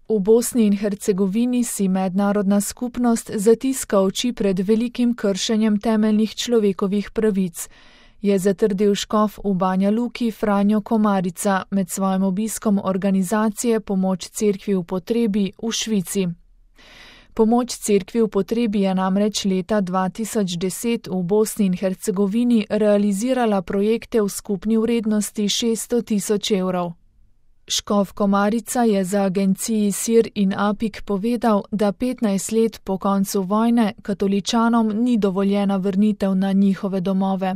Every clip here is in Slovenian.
V Bosni in Hercegovini si mednarodna skupnost zatiska oči pred velikim kršenjem temeljnih človekovih pravic, je zatrdil škof v Banja Luki Franjo Komarica med svojim obiskom organizacije Pomoč cerkvi v potrebi v Švici. Pomoč cerkvi v potrebi je namreč leta 2010 v Bosni in Hercegovini realizirala projekte v skupni vrednosti 600 000 evrov. Škof Komarica je za agenciji SIR in APIK povedal, da 15 let po koncu vojne katoličanom ni dovoljena vrnitev na njihove domove.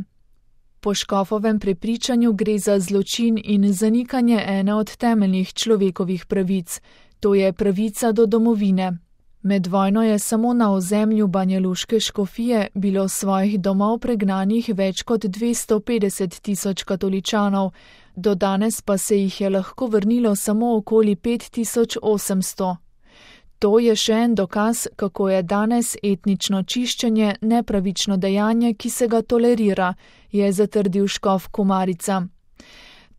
Po škofovem prepričanju gre za zločin in zanikanje ene od temeljnih človekovih pravic, to je pravica do domovine. Med vojno je samo na ozemlju banjaluške škofije bilo svojih domov pregnanih več kot 250 000 katoličanov, do danes pa se jih je lahko vrnilo samo okoli 5800. To je še en dokaz, kako je danes etnično čiščenje nepravično dejanje, ki se ga tolerira, je zatrdil škof Komarica.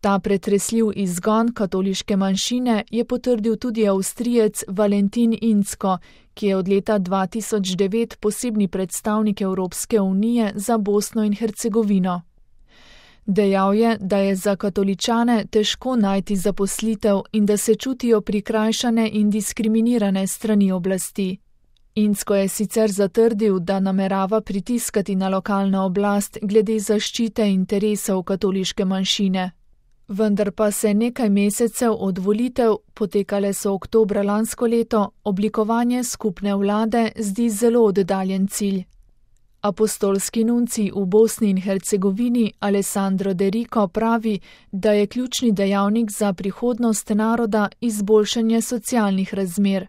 Ta pretresljiv izgon katoliške manjšine je potrdil tudi Avstrijec Valentin Incko, ki je od leta 2009 posebni predstavnik Evropske unije za Bosno in Hercegovino. Dejal je, da je za katoličane težko najti zaposlitev in da se čutijo prikrajšane in diskriminirane strani oblasti. Incko je sicer zatrdil, da namerava pritiskati na lokalno oblast glede zaščite interesov katoliške manjšine. Vendar pa se nekaj mesecev od volitev, potekale so oktobra lansko leto, oblikovanje skupne vlade zdi zelo oddaljen cilj. Apostolski nuncij v Bosni in Hercegovini Alessandro De Rico pravi, da je ključni dejavnik za prihodnost naroda izboljšanje socialnih razmer.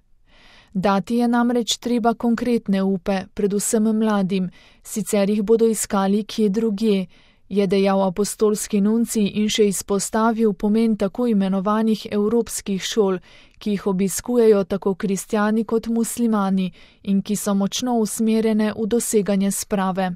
Dati je namreč treba konkretne upe, predvsem mladim, sicer jih bodo iskali kje drugje, je dejal apostolski nuncij in še izpostavil pomen tako imenovanih evropskih šol, ki jih obiskujejo tako kristjani kot muslimani in ki so močno usmerjene v doseganje sprave.